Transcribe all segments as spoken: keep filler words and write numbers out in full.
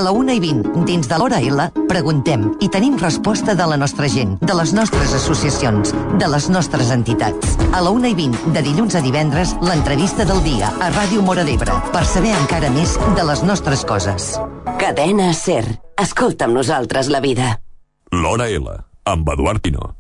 la una i vint, dins de l'Hora L, preguntem i tenim resposta de la nostra gent, de les nostres associacions, de les nostres entitats. A la una i vint, de dilluns a divendres, l'entrevista del dia a Ràdio Móra d'Ebre, per saber encara més de les nostres coses. Cadena SER. Escolta amb nosaltres la vida. L'Hora L, amb Eduard Pino.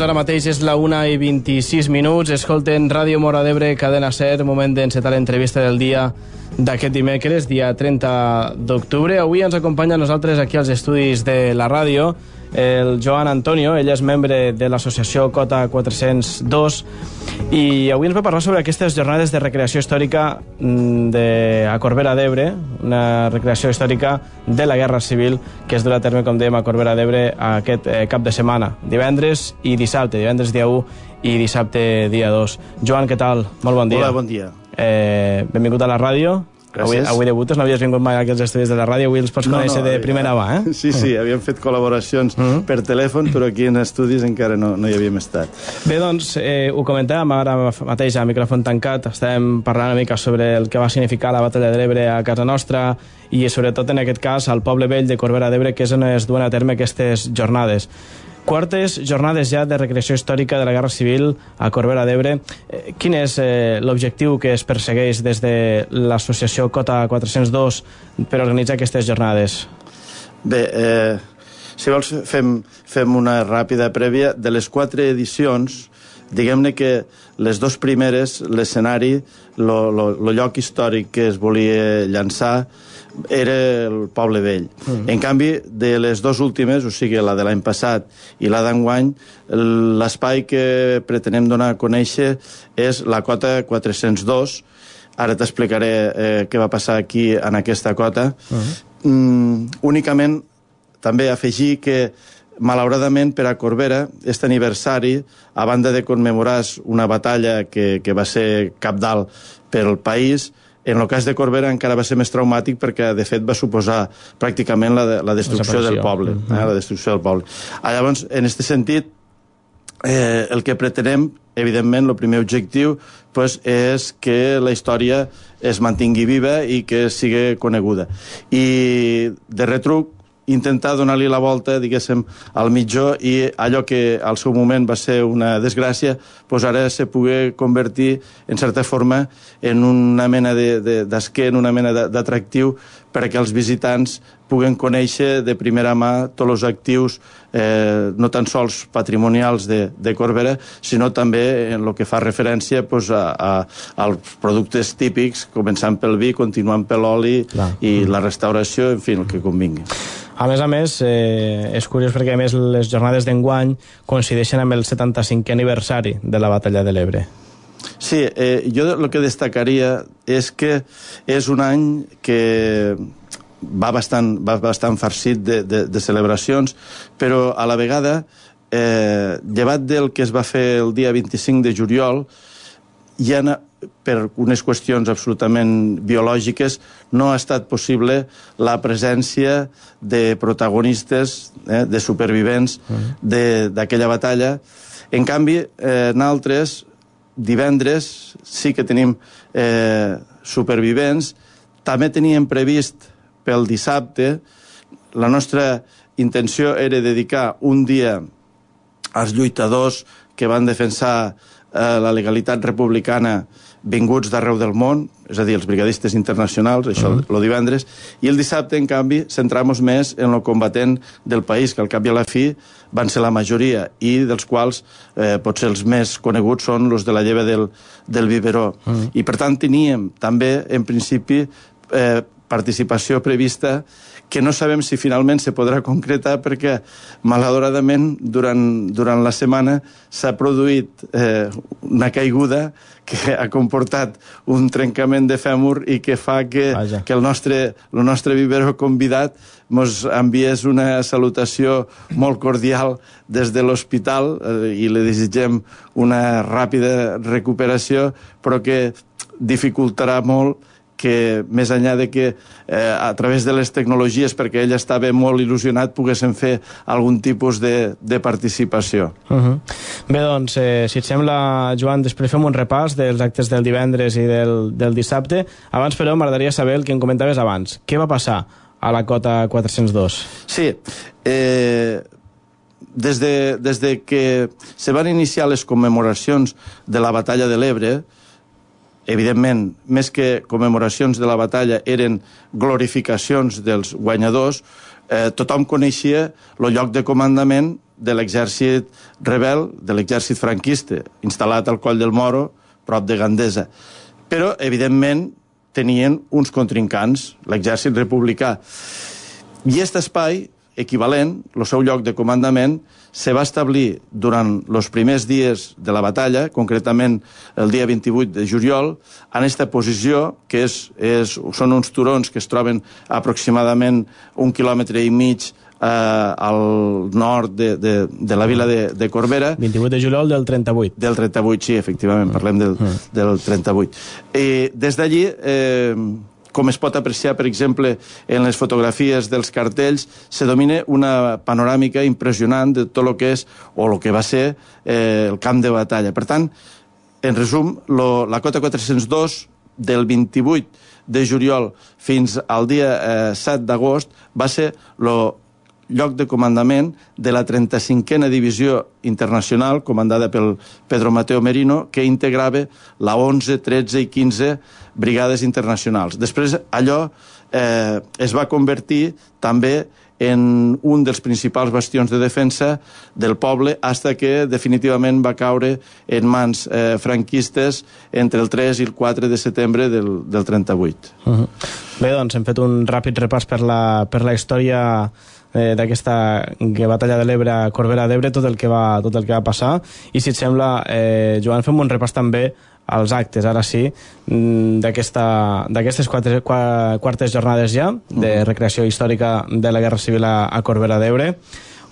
Ara mateix és la una i vint-i-sis minuts. Escolten Ràdio Móra d'Ebre, Cadena SER, moment d'encetar l'entrevista del dia d'aquest dimecres, dia trenta d'octubre. Avui ens acompanya a nosaltres aquí als estudis de la ràdio el Joan Antonio. Ell és membre de l'associació Cota quatre-cents dos i avui ens va parlar sobre aquestes jornades de recreació històrica de, a Corbera d'Ebre, una recreació històrica de la Guerra Civil que es durà a terme, com dèiem, a Corbera d'Ebre aquest eh, cap de setmana, divendres i dissabte, divendres dia u i dissabte dia dos. Joan, què tal? Molt bon dia. Hola, bon dia. Eh, benvingut a la ràdio. Avui, avui debutes, no havies vingut mai aquí als estudis de la ràdio, avui els pots no, conèixer no, de primera mà, eh? Sí, sí, havíem fet col·laboracions mm -hmm. per telèfon, però aquí en estudis encara no, no hi havíem estat. Bé, doncs, eh, ho comentàvem ara mateix a micròfon tancat, estàvem parlant una mica sobre el que va significar la batalla de l'Ebre a casa nostra i sobretot en aquest cas al poble vell de Corbera d'Ebre, que és on es duen a terme aquestes jornades. Quartes jornades ja de recreació històrica de la Guerra Civil a Corbera d'Ebre. Eh, quin és eh, l'objectiu que es persegueix des de l'associació Cota quatre-cents dos per organitzar aquestes jornades? Bé, eh, si vols fem, fem una ràpida prèvia. De les quatre edicions, diguem-ne que les dues primeres, l'escenari, el lloc històric que es volia llançar era el poble vell. Mm. En canvi, de les dues últimes, o sigui, la de l'any passat i la d'enguany, l'espai que pretenem donar a conèixer és la Cota quatre-cents dos. Ara t'explicaré eh, què va passar aquí en aquesta cota. Mm. Mm, únicament, també afegir que malauradament per a Corbera, aquest aniversari, a banda de commemorar una batalla que, que va ser cabdal per al país, en el cas de Corbera encara va ser més traumàtic perquè, de fet, va suposar pràcticament la, la destrucció del poble. Eh, la destrucció del poble. Ah, llavors, en aquest sentit, eh, el que pretenem, evidentment, el primer objectiu pues, és que la història es mantingui viva i que sigui coneguda. I, de retruc, intentar donar-li la volta, diguéssim, al mitjó i allò que al seu moment va ser una desgràcia, doncs ara se pugui convertir, en certa forma, en una mena d'esquer, en una mena d'atractiu perquè els visitants puguen conèixer de primera mà tots els actius, eh, no tan sols patrimonials de, de Corbera, sinó també en el que fa referència pues, a, a, als productes típics, començant pel vi, continuant per l'oli i la restauració, en fi, el que convingui. A més a més, eh, és curiós perquè a més les jornades d'enguany coincideixen amb el setanta-cinquè aniversari de la batalla de l'Ebre. Sí, eh, jo el que destacaria és que és un any que va bastant, va bastant farcit de, de, de celebracions, però a la vegada, eh, llevat del que es va fer el dia vint-i-cinc de juliol, hi ha, per unes qüestions absolutament biològiques, no ha estat possible la presència de protagonistes, eh, de supervivents d'aquella batalla. En canvi, eh, nosaltres, divendres, sí que tenim eh, supervivents. També teníem previst pel dissabte. La nostra intenció era dedicar un dia als lluitadors que van defensar eh, la legalitat republicana vinguts d'arreu del món, és a dir, els brigadistes internacionals, això uh -huh. el divendres, i el dissabte, en canvi, centramos més en el combatent del país, que al cap i a la fi van ser la majoria, i dels quals eh, potser els més coneguts són els de la lleva del, del biberó. Uh -huh. I, per tant, teníem també, en principi, eh, participació prevista que no sabem si finalment se podrà concretar perquè, malauradament, durant, durant la setmana s'ha produït eh, una caiguda que ha comportat un trencament de fèmur i que fa que, que el nostre, el nostre biberó convidat mos enviés una salutació molt cordial des de l'hospital eh, i li desitgem una ràpida recuperació, però que dificultarà molt que, més enllà de que eh, a través de les tecnologies, perquè ell estava molt il·lusionat, poguessin fer algun tipus de, de participació. Uh -huh. Bé, doncs, eh, si et sembla, Joan, després fem un repàs dels actes del divendres i del, del dissabte. Abans, però, m'agradaria saber el que em comentaves abans. Què va passar a la cota quatre-cents dos? Sí, eh... Des de, des de que se van iniciar les commemoracions de la Batalla de l'Ebre, evidentment, més que commemoracions de la batalla, eren glorificacions dels guanyadors, eh, tothom coneixia el lloc de comandament de l'exèrcit rebel, de l'exèrcit franquista, instal·lat al Coll del Moro, prop de Gandesa. Però, evidentment, tenien uns contrincants, l'exèrcit republicà. I aquest espai equivalent, el seu lloc de comandament, se va establir durant els primers dies de la batalla, concretament el dia vint-i-vuit de juliol, en aquesta posició, que és, és, són uns turons que es troben aproximadament un quilòmetre i mig eh, al nord de, de, de la vila de, de Corbera. vint-i-vuit de juliol del trenta-vuit. Del trenta-vuit, sí, efectivament, parlem del, del trenta-vuit. I des d'allí... Eh, com es pot apreciar, per exemple, en les fotografies dels cartells, se domina una panoràmica impressionant de tot el que és, o el que va ser, eh, el camp de batalla. Per tant, en resum, lo, la cota quatre-cents dos del vint-i-vuit de juliol fins al dia eh, set d'agost va ser el lloc de comandament de la trenta-cinquena Divisió Internacional, comandada pel Pedro Mateo Merino, que integrava la onze, tretze i quinze brigades internacionals. Després, allò eh, es va convertir també en un dels principals bastions de defensa del poble, fins que definitivament va caure en mans eh, franquistes entre el tres i el quatre de setembre del, del trenta-vuit. Uh-huh. Bé, doncs hem fet un ràpid repàs per la, per la història eh, d'aquesta batalla de l'Ebre a Corbera d'Ebre, tot el que va, tot el que va passar, i si et sembla, eh, Joan, fem un repàs també als actes, ara sí, d'aquestes quatre, quartes jornades ja de recreació històrica de la Guerra Civil a, a Corbera d'Ebre,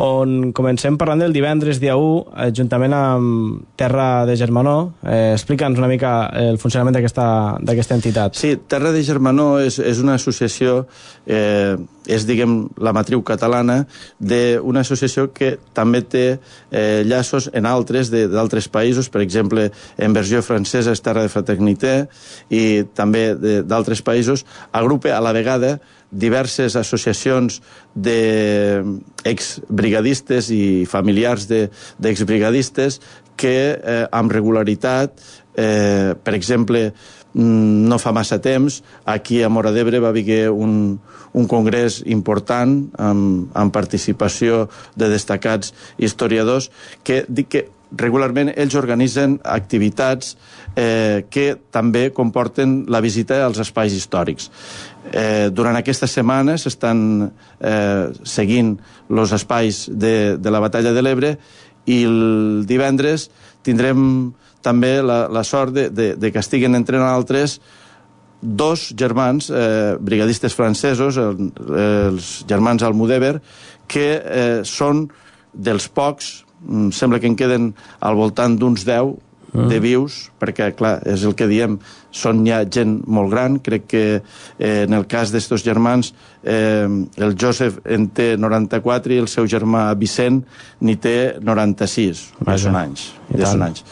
on comencem parlant del divendres, dia u, eh, juntament amb Terra de Germanó. Eh, Explica'ns una mica el funcionament d'aquesta entitat. Sí, Terra de Germanó és, és una associació, eh, és, diguem, la matriu catalana d'una associació que també té eh, llaços en altres d'altres països, per exemple, en versió francesa és Terra de Fraternité, i també d'altres països. Agrupa a la vegada diverses associacions d'exbrigadistes i familiars d'exbrigadistes que eh, amb regularitat, eh, per exemple, no fa massa temps, aquí a Móra d'Ebre va haver un, un congrés important amb, amb participació de destacats historiadors que dic que regularment ells organitzen activitats eh, que també comporten la visita als espais històrics. Eh, durant aquesta setmana s'estan eh, seguint els espais de, de la batalla de l'Ebre, i el divendres tindrem també la, la sort de, de, de que estiguen entre altres dos germans, eh, brigadistes francesos, el, els germans Almudévar, que eh, són dels pocs, sembla que en queden al voltant d'uns deu de vius, perquè, clar, és el que diem, són ja gent molt gran. Crec que eh, en el cas d'estos germans, eh, el Josep en té noranta-quatre i el seu germà Vicent n'hi té noranta-sis. Ja són anys. Ja són anys.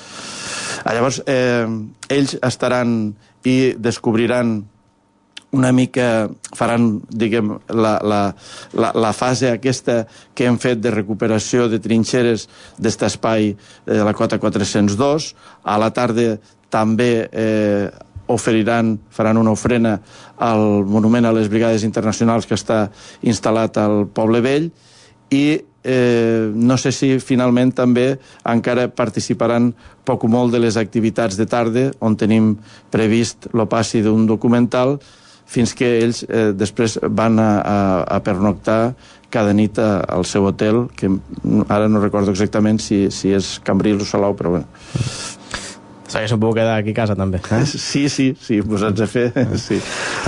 Ah, llavors, eh, ells estaran i descobriran una mica faran, diguem, la, la, la, la fase aquesta que hem fet de recuperació de trinxeres d'este espai de la cota quatre-cents dos. A la tarda també eh, oferiran, faran una ofrena al monument a les Brigades Internacionals que està instal·lat al Poble Vell, i eh, no sé si finalment també encara participaran poc o molt de les activitats de tarda, on tenim previst el passi d'un documental, fins que ells eh, després van a, a, a pernoctar cada nit a, al seu hotel, que ara no recordo exactament si, si és Cambrils o Salou, però bueno. S'hagués pogut quedar aquí a casa, també. Eh? Sí, sí, sí, posats a fer, sí.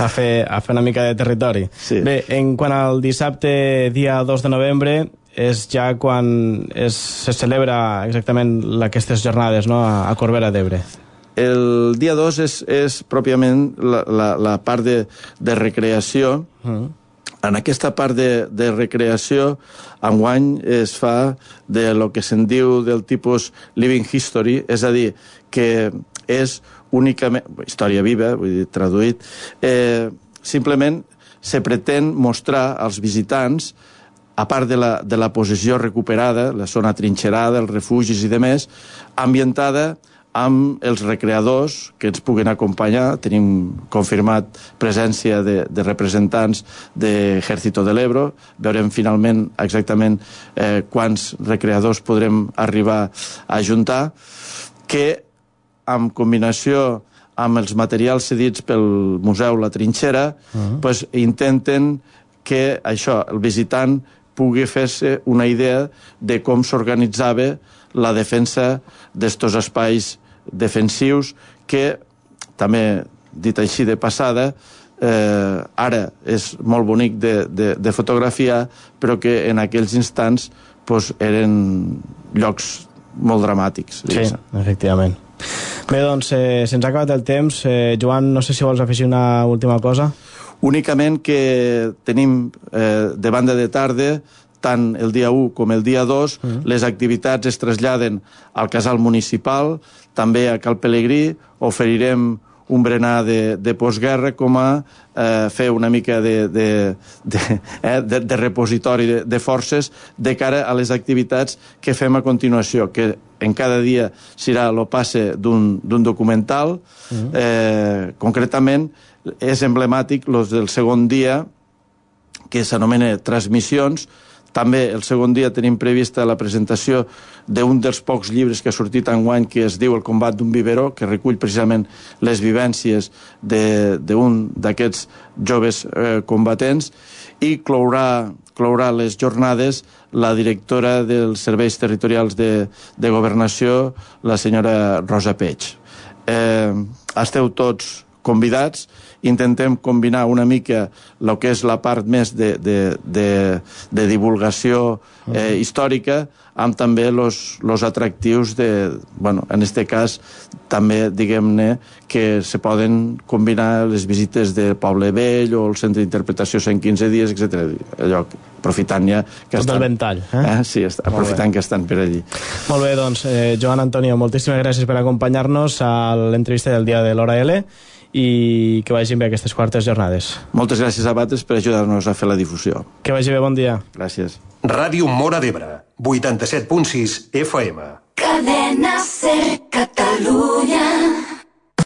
A fer, a fer una mica de territori. Sí. Bé, en quant al dissabte, dia dos de novembre, és ja quan es, se celebra exactament aquestes jornades, no?, a, a Corbera d'Ebre. El dia dos és, és pròpiament la, la, la part de, de recreació. Uh-huh. En aquesta part de, de recreació, enguany es fa de lo que se'n diu del tipus living history, és a dir, que és únicament, història viva, vull dir, traduït, eh, simplement se pretén mostrar als visitants, a part de la, de la posició recuperada, la zona trinxerada, els refugis i demés, ambientada amb els recreadors que ens puguen acompanyar. Tenim confirmat presència de, de representants de Ejército de l'Ebro. Veurem finalment exactament eh, quants recreadors podrem arribar a ajuntar, que en combinació amb els materials cedits pel Museu La Trinxera, uh-huh. pues, intenten que això, el visitant pugui fer-se una idea de com s'organitzava la defensa d'estos espais defensius que, també dit així de passada, eh, ara és molt bonic de, de, de fotografiar, però que en aquells instants pues, eren llocs molt dramàtics. Sí, efectivament. Bé, doncs, eh, se'ns ha acabat el temps. Eh, Joan, no sé si vols afegir una última cosa. Únicament que tenim eh, de banda de tarda, tant el dia u com el dia dos, uh-huh. les activitats es traslladen al casal municipal, també a Cal Pelegrí, oferirem un berenar de, de postguerra com a eh, fer una mica de, de, de, eh, de, de repositori de, de forces de cara a les activitats que fem a continuació, que en cada dia serà el passe d'un documental. Uh-huh. Eh, concretament, és emblemàtic los del segon dia, que s'anomena Transmissions. També el segon dia tenim prevista la presentació d'un dels pocs llibres que ha sortit enguany, que es diu El combat d'un biberó, que recull precisament les vivències d'un d'aquests joves eh, combatents, i clourà, clourà les jornades la directora dels serveis territorials de, de governació, la senyora Rosa Peig. Eh, esteu tots convidats. Intentem combinar una mica el que és la part més de, de, de, de divulgació eh, històrica amb també els atractius de, bueno, en este cas també, diguem-ne, que se poden combinar les visites del Poble Vell o el Centre d'Interpretació cent quinze dies, etcètera. Allò, aprofitant ja que tot estan... el ventall, eh? eh? Sí, aprofitant que estan per allí. Molt bé, doncs, eh, Joan Antonio, moltíssimes gràcies per acompanyar-nos a l'entrevista del dia de l'Hora L, i que vagin bé aquestes quartes jornades. Moltes gràcies a vosaltres per ajudar-nos a fer la difusió. Que vagi bé, bon dia. Gràcies. Ràdio Móra d'Ebre, vuitanta-set punt sis F M. Cadena Ser Catalunya.